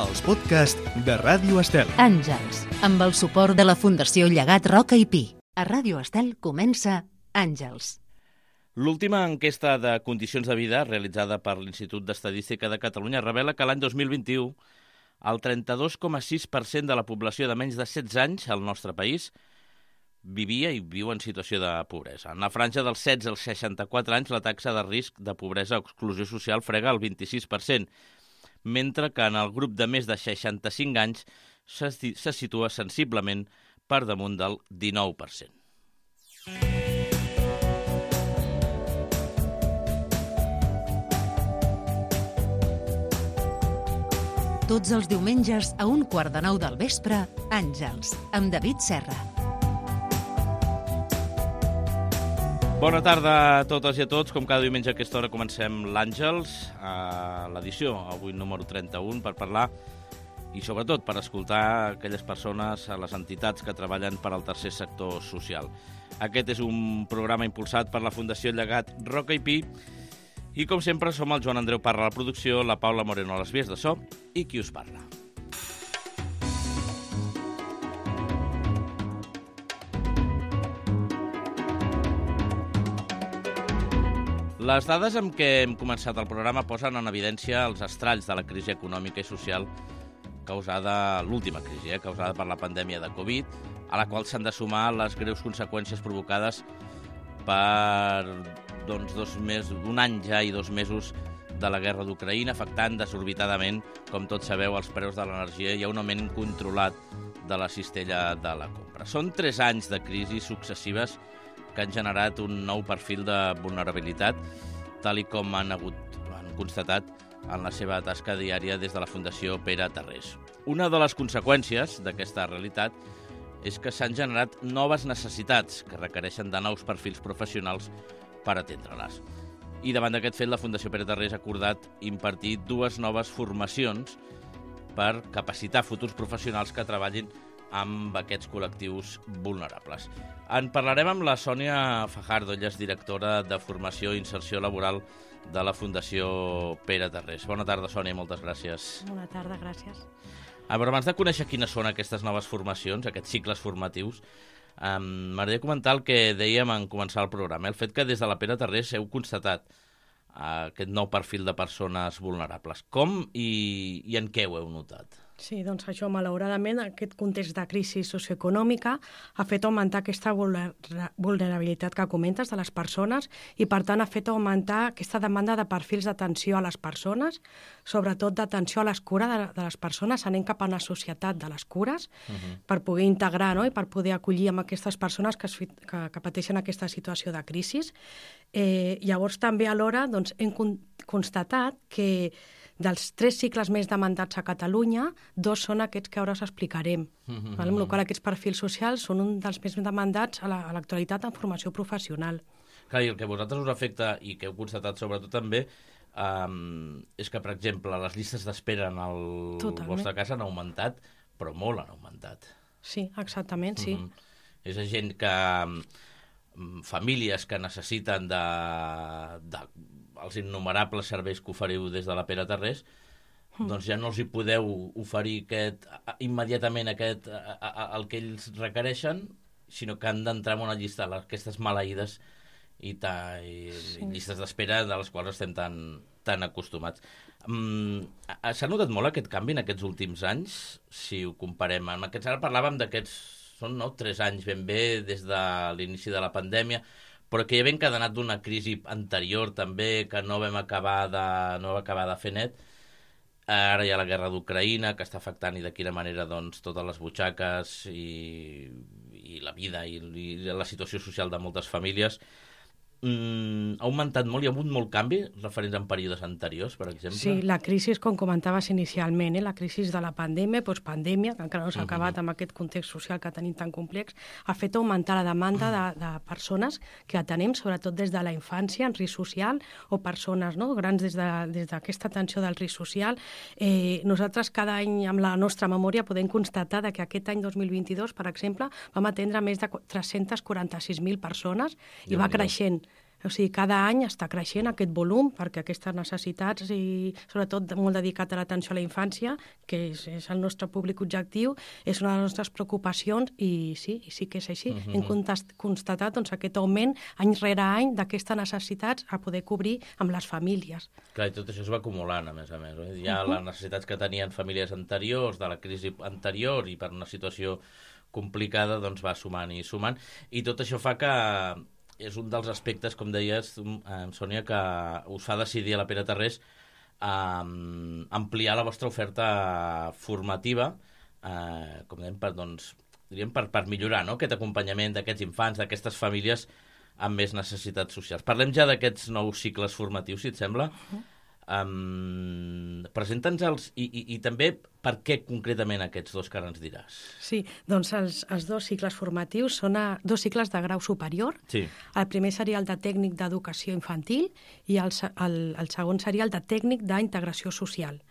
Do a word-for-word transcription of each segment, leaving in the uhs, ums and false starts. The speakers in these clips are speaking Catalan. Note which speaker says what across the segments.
Speaker 1: els podcasts de Ràdio Estel.
Speaker 2: Àngels, amb el suport de la Fundació Llegat Roca i Pi. A Ràdio Estel comença Àngels.
Speaker 3: L'última enquesta de condicions de vida realitzada per l'Institut d'Estadística de Catalunya revela que l'any dos mil vint-i-u el trenta-dos coma sis per cent de la població de menys de setze anys al nostre país vivia i viu en situació de pobresa. En la franja dels setze als seixanta-quatre anys, la taxa de risc de pobresa o exclusió social frega el vint-i-sis per cent, mentre que en el grup de més de seixanta-cinc anys se, se situa sensiblement per damunt del dinou per cent.
Speaker 2: Tots els diumenges a un quart de nou del vespre, Àngels, amb David Serra.
Speaker 3: Bona tarda a totes i a tots. Com cada diumenge a aquesta hora comencem l'Àngels, a l'edició, avui número trenta-u, per parlar i sobretot per escoltar aquelles persones, a les entitats que treballen per al tercer sector social. Aquest és un programa impulsat per la Fundació Llegat Roca i Pi i, com sempre, som el Joan Andreu Parra a la producció, la Paula Moreno a les vies de so i qui us parla. Les dades amb què hem començat el programa posen en evidència els estralls de la crisi econòmica i social causada, l'última crisi, eh, causada per la pandèmia de Covid, a la qual s'han de sumar les greus conseqüències provocades per doncs, dos mesos, un any ja i dos mesos de la guerra d'Ucraïna, afectant desorbitadament, com tots sabeu, els preus de l'energia i un augment incontrolat de la cistella de la compra. Són tres anys de crisis successives que han generat un nou perfil de vulnerabilitat, tal i com han, hagut, han constatat en la seva tasca diària des de la Fundació Pere Tarrés. Una de les conseqüències d'aquesta realitat és que s'han generat noves necessitats que requereixen de nous perfils professionals per atendre-les. I davant d'aquest fet, la Fundació Pere Tarrés ha acordat impartir dues noves formacions per capacitar futurs professionals que treballin amb aquests col·lectius vulnerables. En parlarem amb la Sònia Fajardo, ella és directora de Formació i Inserció Laboral de la Fundació Pere Tarrés. Bona tarda, Sònia, moltes gràcies.
Speaker 4: Bona tarda, gràcies.
Speaker 3: A veure, abans de conèixer quines són aquestes noves formacions, aquests cicles formatius, um, m'agradaria comentar el que dèiem en començar el programa, el fet que des de la Pere Tarrés heu constatat uh, aquest nou perfil de persones vulnerables. Com i, i en què ho heu notat?
Speaker 4: Sí, doncs això, malauradament, aquest context de crisi socioeconòmica ha fet augmentar aquesta vulnerabilitat que comentes de les persones i, per tant, ha fet augmentar aquesta demanda de perfils d'atenció a les persones, sobretot d'atenció a les cures de, de les persones, anem cap a una societat de les cures, uh-huh. per poder integrar, no?, i per poder acollir amb aquestes persones que, es, que, que pateixen aquesta situació de crisi. Eh, llavors, també alhora doncs, hem con- constatat que dels tres cicles més demandats a Catalunya, dos són aquests que ara us explicarem. Mm-hmm. Val? Amb la qual cosa aquests perfils socials són un dels més demandats a, la, a l'actualitat en formació professional.
Speaker 3: Clar, i el que a vosaltres us afecta i que heu constatat sobretot també um, és que, per exemple, les llistes d'espera en el Totalment. vostre cas han augmentat, però molt han augmentat.
Speaker 4: Sí, exactament, sí.
Speaker 3: Mm-hmm. És gent que... famílies que necessiten de, de els innumerables serveis que oferiu des de la Pere Tarrés, mm. doncs ja no els hi podeu oferir aquest, immediatament aquest, a, a, el que ells requereixen, sinó que han d'entrar en una llista, aquestes maleïdes i, ta, i, sí. i llistes d'espera de les quals estem tan, tan acostumats. Mm, s'ha notat molt aquest canvi en aquests últims anys, si ho comparem amb aquests? Ara parlàvem d'aquests són no, tres anys ben bé des de l'inici de la pandèmia, però que ja ben encadenat d'una crisi anterior també, que no vam acabar de, no vam acabar de fer net. Ara hi ha la guerra d'Ucraïna, que està afectant i de quina manera doncs, totes les butxaques i, i la vida i, i la situació social de moltes famílies. Mm, ha augmentat molt, hi ha hagut molt canvi referents a períodes anteriors, per exemple?
Speaker 4: Sí, la crisi, com comentaves inicialment, eh, la crisi de la pandèmia, postpandèmia, que encara no s'ha acabat uh-huh. amb aquest context social que tenim tan complex, ha fet augmentar la demanda de, de persones que atenem, sobretot des de la infància, en risc social, o persones no, grans des, de, des d'aquesta atenció del risc social. Eh, nosaltres cada any, amb la nostra memòria, podem constatar que aquest any dos mil vint-i-dos, per exemple, vam atendre més de tres-cents quaranta-sis mil persones i va creixent. O sigui, cada any està creixent aquest volum perquè aquestes necessitats i sobretot molt dedicat a l'atenció a la infància, que és, és el nostre públic objectiu, és una de les nostres preocupacions i sí, i sí que és així. Uh-huh. Hem contast, constatat doncs, aquest augment any rere any d'aquestes necessitats a poder cobrir amb les famílies.
Speaker 3: Clar, i tot això es va acumulant, a més a més. Hi ha uh-huh. les necessitats que tenien famílies anteriors, de la crisi anterior, i per una situació complicada doncs va sumant i sumant. I tot això fa que és un dels aspectes, com deies, eh, Sònia, que us fa decidir a la Pere Tarrés eh, ampliar la vostra oferta formativa, eh, com dèiem, per, doncs, diríem, per, per millorar, no?, aquest acompanyament d'aquests infants, d'aquestes famílies amb més necessitats socials. Parlem ja d'aquests nous cicles formatius, si et sembla. Uh-huh. Um, Presenta'ns-els i, i, i també per què concretament aquests dos que ara ens diràs.
Speaker 4: Sí, doncs els, els dos cicles formatius són a, dos cicles de grau superior.
Speaker 3: Sí.
Speaker 4: El primer seria el de tècnic d'educació infantil i el, el, el segon seria el de tècnic d'integració social.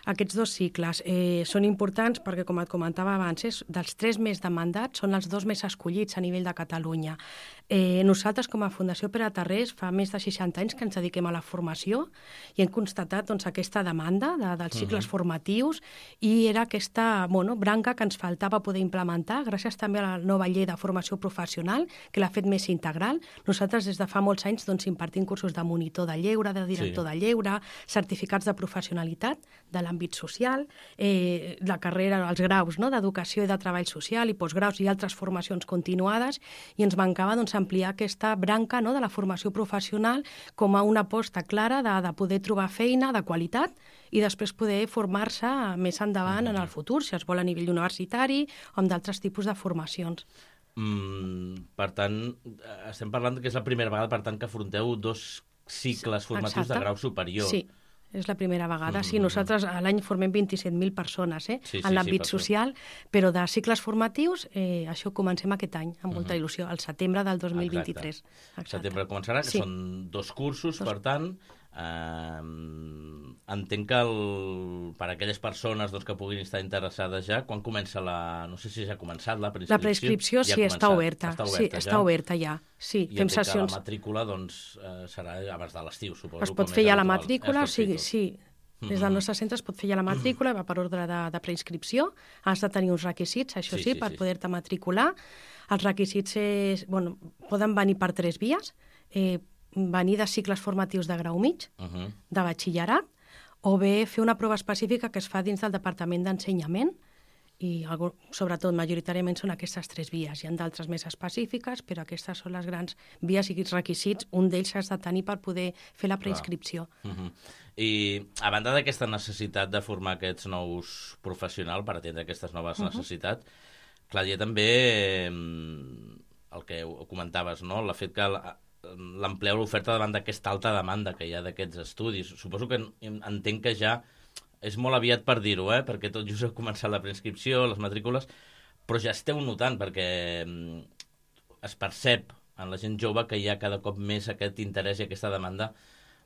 Speaker 4: Aquests dos cicles eh, són importants perquè, com et comentava abans, és, dels tres més demandats són els dos més escollits a nivell de Catalunya. Eh, nosaltres, com a Fundació Pere Tarrés, fa més de seixanta anys que ens dediquem a la formació i hem constatat doncs, aquesta demanda de, dels cicles uh-huh. formatius i era aquesta bueno, branca que ens faltava poder implementar gràcies també a la nova llei de formació professional que l'ha fet més integral. Nosaltres des de fa molts anys doncs, impartim cursos de monitor de lleure, de director sí. de lleure, certificats de professionalitat de l'àmbit social, eh, la carrera, els graus no? d'educació i de treball social i postgraus i altres formacions continuades i ens mancava doncs, ampliar aquesta branca no? de la formació professional com a una aposta clara de, de poder trobar feina de qualitat i després poder formar-se més endavant en el futur, si es vol a nivell universitari o amb d'altres tipus de formacions.
Speaker 3: Mm, per tant, estem parlant que és la primera vegada per tant que afronteu dos cicles formatius Exacte. de grau superior.
Speaker 4: Sí. És la primera vegada. Sí, nosaltres a l'any formem vint-i-set mil persones eh,
Speaker 3: sí, sí,
Speaker 4: en l'àmbit
Speaker 3: sí,
Speaker 4: social, però de cicles formatius eh, això comencem aquest any, amb molta il·lusió, al setembre del dos mil vint-i-tres.
Speaker 3: Exacte. Setembre començarà, que sí. són dos cursos, dos. Per tant, eh, entenc que el, per a aquelles persones doncs, que puguin estar interessades ja, quan comença la... No sé si ja ha començat la preinscripció.
Speaker 4: La preinscripció ja sí, està oberta. Està oberta, sí, ja. està oberta ja. Sí,
Speaker 3: I fem sessions. La matrícula doncs, eh, serà abans de l'estiu, suposo.
Speaker 4: Es pot fer ja la matrícula, sí, sí. Des del nostre centre es pot fer ja la matrícula, va per ordre de, de preinscripció. Has de tenir uns requisits, això sí, sí, sí per sí. poder-te matricular. Els requisits és, bueno, poden venir per tres vies. Eh, venir de cicles formatius de grau mig, uh -huh. de batxillerat, o bé fer una prova específica que es fa dins del Departament d'Ensenyament, i sobretot majoritàriament són aquestes tres vies. Hi ha d'altres més específiques, però aquestes són les grans vies i requisits. Un d'ells has de tenir per poder fer la preinscripció.
Speaker 3: Uh -huh. I a banda d'aquesta necessitat de formar aquests nous professionals per atendre aquestes noves uh -huh. necessitats, clar, hi ha també el que comentaves, no? El fet que l'amplieu l'oferta davant d'aquesta alta demanda que hi ha d'aquests estudis. Suposo que entenc que ja és molt aviat per dir-ho, eh? Perquè tot just ha començat la preinscripció, les matrícules, però ja esteu notant, perquè es percep en la gent jove que hi ha cada cop més aquest interès i aquesta demanda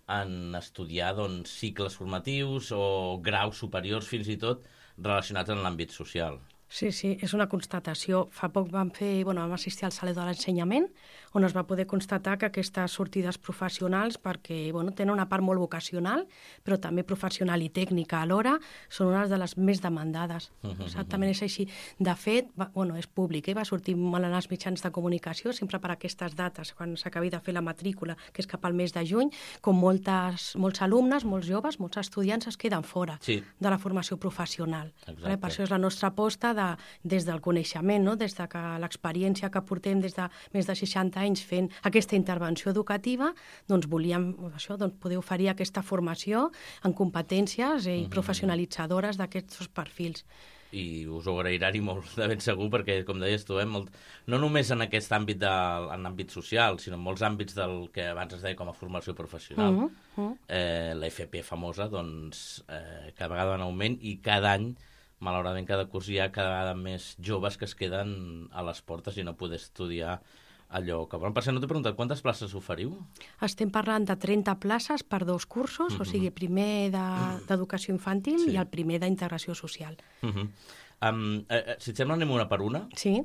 Speaker 3: en estudiar doncs, cicles formatius o graus superiors, fins i tot, relacionats amb l'àmbit social.
Speaker 4: Sí, sí, és una constatació. Fa poc vam fer, bueno, vam assistir al Saló de l'Ensenyament, on es va poder constatar que aquestes sortides professionals, perquè bueno, tenen una part molt vocacional, però també professional i tècnica alhora, són unes de les més demandades. Uh -huh, Exactament és així. De fet, va, bueno, és públic, eh? va sortir molt en els mitjans de comunicació, sempre per aquestes dates, quan s'acabi de fer la matrícula, que és cap al mes de juny, com moltes, molts alumnes, molts joves, molts estudiants es queden fora
Speaker 3: sí.
Speaker 4: de la formació professional. Vale? Per això és la nostra aposta de, des del coneixement, no? Des de que l'experiència que portem des de més de seixanta anys fent aquesta intervenció educativa, doncs volíem això, doncs, poder oferir aquesta formació en competències i mm-hmm. professionalitzadores d'aquests perfils.
Speaker 3: I us ho agrairan i molt de ben segur, perquè, com deies tu, eh, molt, no només en aquest àmbit, de, en àmbit social, sinó en molts àmbits del que abans es deia com a formació professional. Mm-hmm. eh, L'F P famosa, doncs, eh, cada vegada en augment i cada any, malauradament, cada curs hi ha cada vegada més joves que es queden a les portes i no poder estudiar allò que volen. Per cert, no t'he preguntat, quantes places oferiu?
Speaker 4: Estem parlant de trenta places per dos cursos, mm-hmm. o sigui, primer d'educació de, infantil sí. i el primer d'integració social.
Speaker 3: Mm-hmm. um, eh, si et sembla, anem una per una?
Speaker 4: Sí.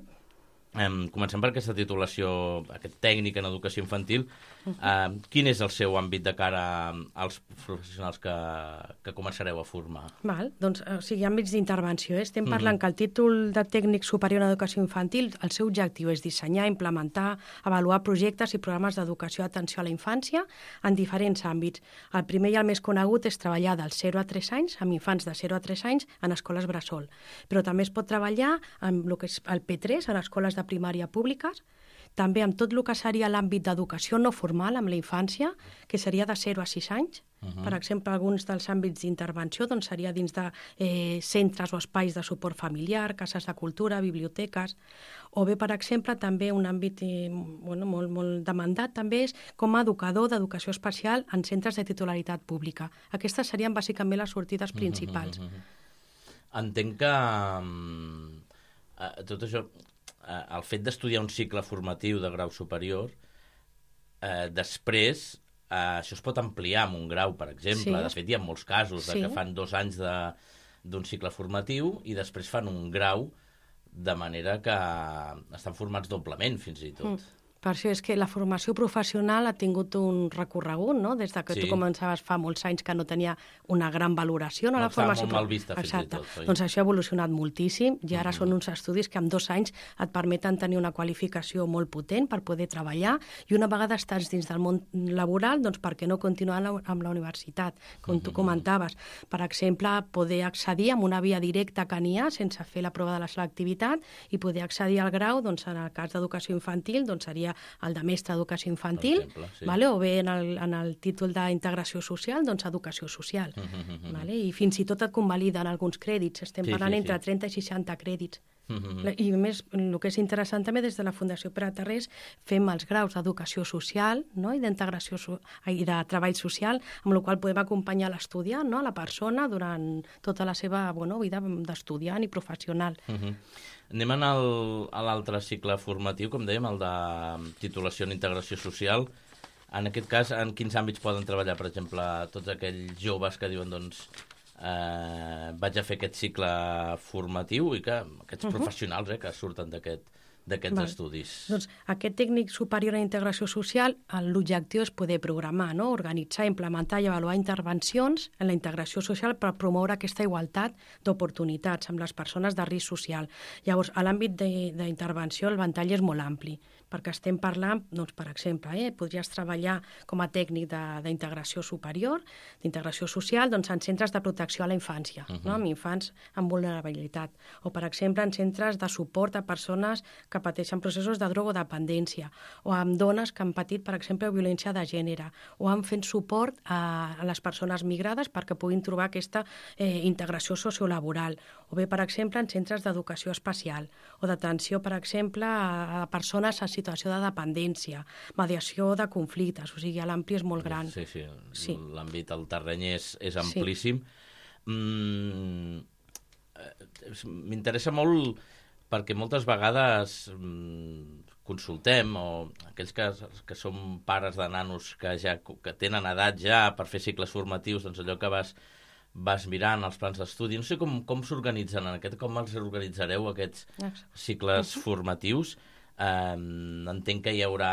Speaker 3: Um, comencem per aquesta titulació, aquest tècnic en educació infantil. Uh, quin és el seu àmbit de cara als professionals que, que començareu a formar?
Speaker 4: Val, doncs, o sigui, àmbits d'intervenció. Eh? Estem parlant mm-hmm. que el títol de tècnic superior en educació infantil, el seu objectiu és dissenyar, implementar, avaluar projectes i programes d'educació d'atenció a la infància en diferents àmbits. El primer i el més conegut és treballar dels zero a tres anys, amb infants de zero a tres anys, en escoles bressol. Però també es pot treballar amb el que és el P tres, en escoles de primària públiques, també amb tot el que seria l'àmbit d'educació no formal, amb la infància, que seria de zero a sis anys. Uh-huh. Per exemple, alguns dels àmbits d'intervenció doncs, seria dins de eh, centres o espais de suport familiar, cases de cultura, biblioteques, o bé, per exemple, també un àmbit eh, bueno, molt, molt demandat també és com a educador d'educació especial en centres de titularitat pública. Aquestes serien bàsicament les sortides principals. Uh-huh, uh-huh.
Speaker 3: Entenc que uh, tot això... el fet d'estudiar un cicle formatiu de grau superior, eh, després eh, això es pot ampliar amb un grau, per exemple. Sí. De fet, hi ha molts casos de sí. que fan dos anys d'un cicle formatiu i després fan un grau, de manera que estan formats doblement, fins i tot. Mm.
Speaker 4: Per això és que la formació professional ha tingut un recorregut, no? Des que sí. tu començaves fa molts anys que no tenia una gran valoració. No,
Speaker 3: no
Speaker 4: la formació
Speaker 3: molt mal vista, fins
Speaker 4: Exacte.
Speaker 3: i tot. Oi?
Speaker 4: Doncs això ha evolucionat moltíssim i ara mm-hmm. són uns estudis que en dos anys et permeten tenir una qualificació molt potent per poder treballar i una vegada estàs dins del món laboral, doncs per què no continuar amb la universitat, com mm-hmm. tu comentaves. Per exemple, poder accedir amb una via directa que n'hi ha sense fer la prova de la selectivitat i poder accedir al grau, doncs en el cas d'educació infantil, doncs seria el de mestre d'educació infantil, exemple, sí. vale? O bé en el, en el títol d'integració social, doncs educació social. Uh-huh. Vale? I fins i tot et convaliden alguns crèdits, estem sí, parlant sí, entre sí. trenta i seixanta crèdits. Uh-huh. I a més, el que és interessant també, des de la Fundació Pere Tarrés fem els graus d'educació social, no? I d'integració so i de treball social, amb la qual podem acompanyar l'estudiant, no? La persona durant tota la seva bueno, vida d'estudiant i professional.
Speaker 3: Uh-huh. Anem a l'altre cicle formatiu, com dèiem, el de titulació en integració social. En aquest cas, en quins àmbits poden treballar, per exemple, tots aquells joves que diuen, doncs, eh, vaig a fer aquest cicle formatiu i que aquests uh-huh. professionals eh, que surten d'aquest d'aquests estudis.
Speaker 4: Doncs aquest tècnic superior en integració social, l'objectiu és poder programar, no? Organitzar, implementar i avaluar intervencions en la integració social per promoure aquesta igualtat d'oportunitats amb les persones de risc social. Llavors, a l'àmbit d'intervenció el ventall és molt ampli, perquè estem parlant, doncs, per exemple, eh, podries treballar com a tècnic d'integració superior, d'integració social, doncs, en centres de protecció a la infància, uh-huh. no? Amb infants amb vulnerabilitat, o, per exemple, en centres de suport a persones que pateixen processos de drogodependència, o amb dones que han patit, per exemple, violència de gènere, o han fet suport a, a les persones migrades perquè puguin trobar aquesta eh, integració sociolaboral, o bé, per exemple, en centres d'educació especial, o d'atenció, per exemple, a, a persones en situació de dependència, mediació de conflictes, o sigui, l'ampli és molt gran.
Speaker 3: Sí, sí, sí. L'àmbit, el terreny és, és amplíssim. Sí. Mm, m'interessa molt perquè moltes vegades mm, consultem, o aquells que, que som pares de nanos que ja que tenen edat ja per fer cicles formatius, doncs allò que vas, vas mirant els plans d'estudi, no sé com, com s'organitzen en aquest, com els organitzareu aquests cicles uh-huh. formatius. Eh, entenc que hi haurà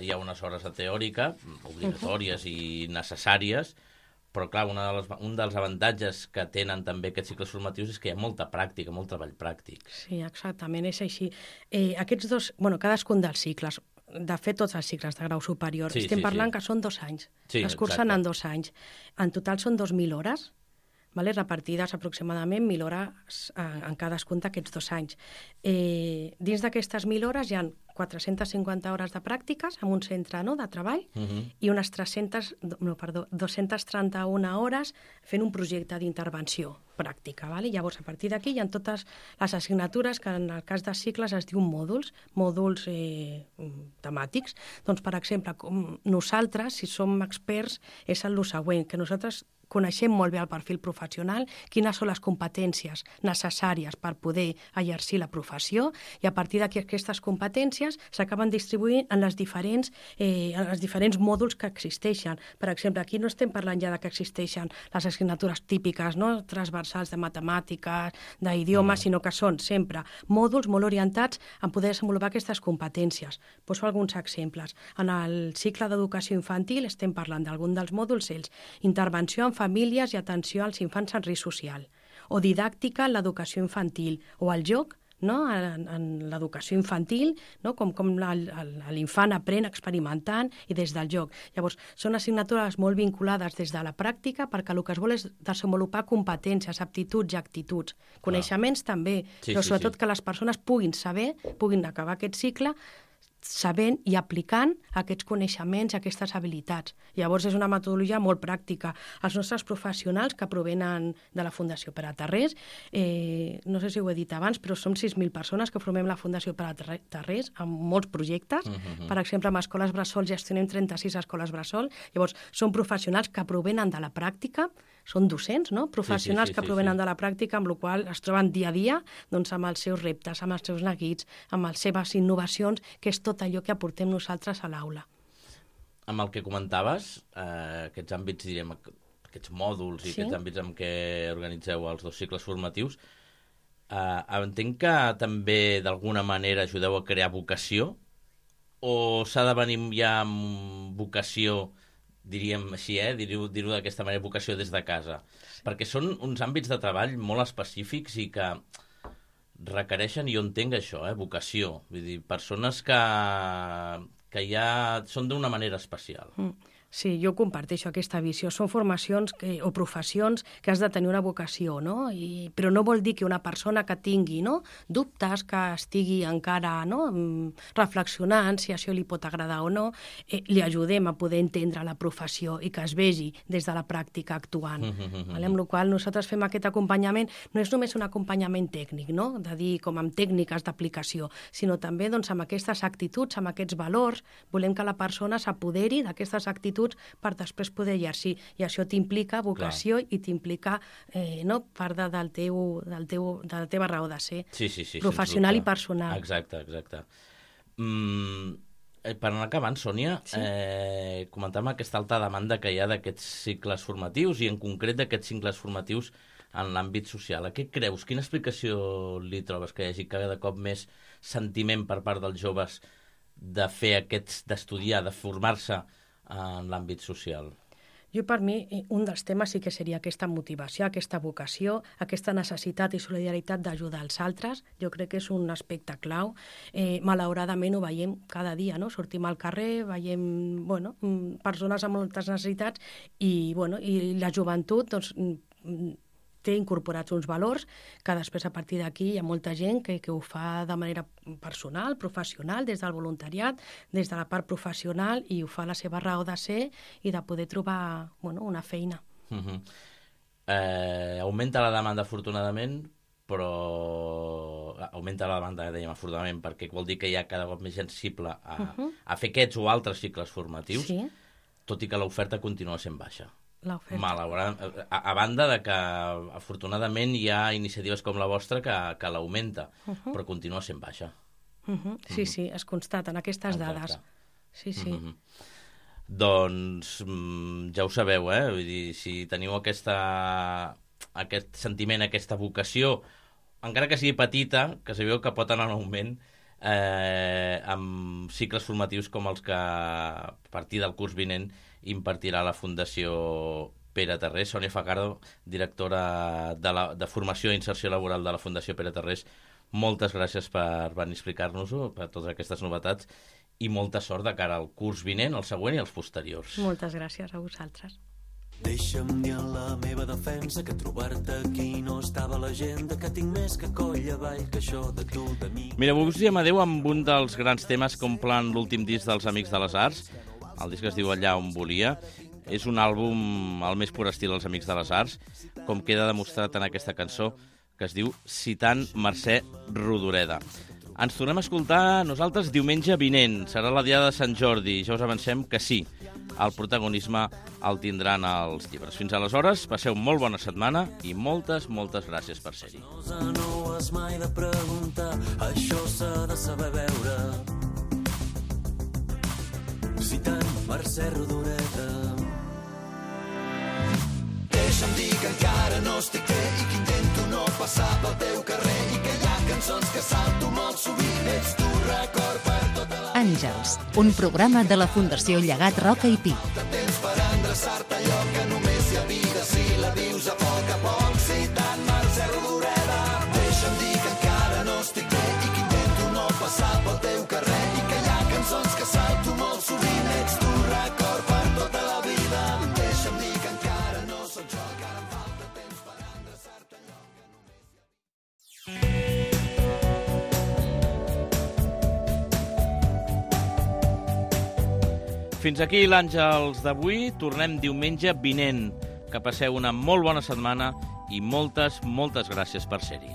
Speaker 3: hi ha unes hores de teòrica obligatòries uh-huh. i necessàries, però clar, una de les, un dels avantatges que tenen també aquests cicles formatius és que hi ha molta pràctica, molt treball pràctic.
Speaker 4: Sí, exactament, és així. Eh, aquests dos, bueno, cadascun dels cicles, de fet tots els cicles de grau superior, sí, estem sí, parlant sí. que són dos anys,
Speaker 3: sí,
Speaker 4: es cursen en dos anys. En total són dos mil hores, vale? Repartides aproximadament mil hores en, en cadascun d'aquests dos anys. Eh, dins d'aquestes mil hores hi ha quatre-centes cinquanta hores de pràctiques en un centre no, de treball uh-huh. i unes tres-centes, no, perdó, dos-centes trenta-una hores fent un projecte d'intervenció pràctica. Vale? Llavors, a partir d'aquí hi ha totes les assignatures que en el cas de cicles es diuen mòduls, mòduls eh, temàtics. Doncs, per exemple, com nosaltres, si som experts, és el següent, que nosaltres coneixem molt bé el perfil professional, quines són les competències necessàries per poder exercir la professió, i a partir d'aquestes competències s'acaben distribuint en les diferents, eh, en els diferents mòduls que existeixen. Per exemple, aquí no estem parlant ja de que existeixen les assignatures típiques, no?, transversals de matemàtiques, d'idiomes, mm. sinó que són sempre mòduls molt orientats a poder desenvolupar aquestes competències. Poso alguns exemples. En el cicle d'educació infantil estem parlant d'algun dels mòduls, ells, intervenció en famílies i atenció als infants en risc social, o didàctica en l'educació infantil, o el joc, no?, en, en l'educació infantil, no?, com, com l'infant aprèn experimentant i des del joc. Llavors, són assignatures molt vinculades des de la pràctica, perquè el que es vol és desenvolupar competències, aptituds i actituds. Coneixements ah. també, sí, però sobretot sí, sí. que les persones puguin saber, puguin acabar aquest cicle sabent i aplicant aquests coneixements, aquestes habilitats. Llavors és una metodologia molt pràctica. Els nostres professionals que provenen de la Fundació Pere Tarrés, eh, no sé si ho he dit abans, però som sis mil persones que formem la Fundació Pere Tarrés amb molts projectes. Uh-huh. Per exemple, amb escoles bressol gestionem trenta-sis escoles bressol. Llavors, són professionals que provenen de la pràctica, són docents, no?, professionals sí, sí, sí, que provenen sí, sí. de la pràctica, amb la qual es troben dia a dia doncs, amb els seus reptes, amb els seus neguits, amb les seves innovacions, que és tot allò que aportem nosaltres a l'aula.
Speaker 3: Amb el que comentaves, eh, aquests àmbits, direm, aquests mòduls i sí? aquests àmbits en què organitzeu els dos cicles formatius, eh, entenc que també d'alguna manera ajudeu a crear vocació, o s'ha de venir ja amb vocació, diríem així, eh? dir-ho dir-ho d'aquesta manera, vocació des de casa. Sí. Perquè són uns àmbits de treball molt específics i que requereixen, i jo entenc això, eh? vocació. Vull dir, persones que, que ja són d'una manera especial.
Speaker 4: Mm. Sí, jo comparteixo aquesta visió. Són formacions que, o professions que has de tenir una vocació, no? I, però no vol dir que una persona que tingui no, dubtes, que estigui encara no, reflexionant si això li pot agradar o no, eh, li ajudem a poder entendre la professió i que es vegi des de la pràctica actuant. Mm-hmm. Vale? Amb la qual nosaltres fem aquest acompanyament, no és només un acompanyament tècnic, no? De dir com amb tècniques d'aplicació, sinó també doncs, amb aquestes actituds, amb aquests valors. Volem que la persona s'apoderi d'aquestes actituds per després poder exercir. I això t'implica vocació Clar. I t'implica eh, no, part de, del teu, del teu, de la teva raó de ser,
Speaker 3: sí, sí, sí,
Speaker 4: professional i personal.
Speaker 3: Exacte, exacte. Mm, per anar acabant, Sònia, sí? eh, comentàvem aquesta alta demanda que hi ha d'aquests cicles formatius i en concret d'aquests cicles formatius en l'àmbit social. A què creus? Quina explicació li trobes que hi hagi cada cop més sentiment per part dels joves de fer aquests, d'estudiar, de formar-se en l'àmbit social?
Speaker 4: Jo, per mi, un dels temes sí que seria aquesta motivació, aquesta vocació, aquesta necessitat i solidaritat d'ajudar els altres. Jo crec que és un aspecte clau. Eh, malauradament ho veiem cada dia, no? Sortim al carrer, veiem bueno, persones amb moltes necessitats i, bueno, i la joventut doncs, té incorporats uns valors que després a partir d'aquí hi ha molta gent que, que ho fa de manera personal, professional, des del voluntariat, des de la part professional, i ho fa la seva raó de ser i de poder trobar bueno, una feina.
Speaker 3: Uh-huh. eh, augmenta la demanda afortunadament, però augmenta la demanda, dèiem, afortunadament, perquè vol dir que hi ha cada cop més sensible a, uh-huh. a fer aquests o altres cicles formatius, sí. tot i que l'oferta continua sent baixa. Malauradament, a, a banda de que afortunadament hi ha iniciatives com la vostra que, que l'augmenta, uh-huh. però continua sent baixa.
Speaker 4: Uh-huh. Sí, uh-huh. sí, es constaten aquestes Exacte. Dades. Sí, sí. Uh-huh.
Speaker 3: Doncs ja ho sabeu, eh? Vull dir, si teniu aquesta, aquest sentiment, aquesta vocació, encara que sigui petita, que sabeu que pot anar en augment, eh, amb cicles formatius com els que a partir del curs vinent impartirà la Fundació Pere Tarrés. Sònia Fajardo, directora de, la, de Formació i Inserció Laboral de la Fundació Pere Tarrés, moltes gràcies per venir a explicar-nos-ho, per totes aquestes novetats, i molta sort de cara al curs vinent, el següent i els posteriors.
Speaker 4: Moltes gràcies a vosaltres.
Speaker 5: Deixa'm dir en la meva defensa que trobar-te aquí no estava a l'agenda, que tinc més que coll avall que això de tu, de mi...
Speaker 3: Mira, avui us diem adeu amb un dels grans temes que omplen l'últim disc dels Amics de les Arts. El disc es diu Allà on volia. És un àlbum al més pur estil dels Amics de les Arts, com queda demostrat en aquesta cançó, que es diu Citant Mercè Rodoreda. Ens tornem a escoltar nosaltres diumenge vinent. Serà la diada de Sant Jordi. Ja us avancem que sí, el protagonisme el tindran els llibres. Fins aleshores, passeu molt bona setmana i moltes, moltes gràcies per ser-hi.
Speaker 5: No ho has mai de preguntar, això s'ha de saber veure. Citant Mercè Rodoreda. Deixa'm dir que encara no estic bé i que intento no passar pel teu carrer i que hi ha cançons que salto molt sovint, ets tu record per tota la...
Speaker 2: Àngels, un programa de la Fundació Llegat Roca i Pi.
Speaker 5: De temps per endreçar-te allò que només hi ha vida si la vius a poc a poc, citant Mercè Rodoreda. Deixa'm dir que encara no estic bé i que intento no passar pel teu carrer i que hi ha cançons que salto molt sovint, ets tu record per tota la vida. Deixa'm dir que encara no sóc jo, que ara em falta temps per endreçar-te allò que només hi ha...
Speaker 3: Fins aquí l'Àngels d'avui. Tornem diumenge vinent. Que passeu una molt bona setmana i moltes, moltes gràcies per ser-hi.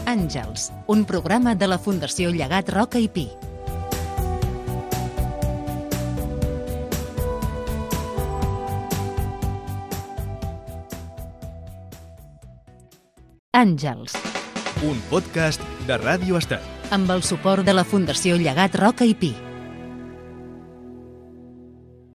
Speaker 2: Àngels, un programa de la Fundació Llegat Roca i Pi. Àngels.
Speaker 1: Un podcast de Ràdio Estel.
Speaker 2: Amb el suport de la Fundació Llegat Roca i Pi.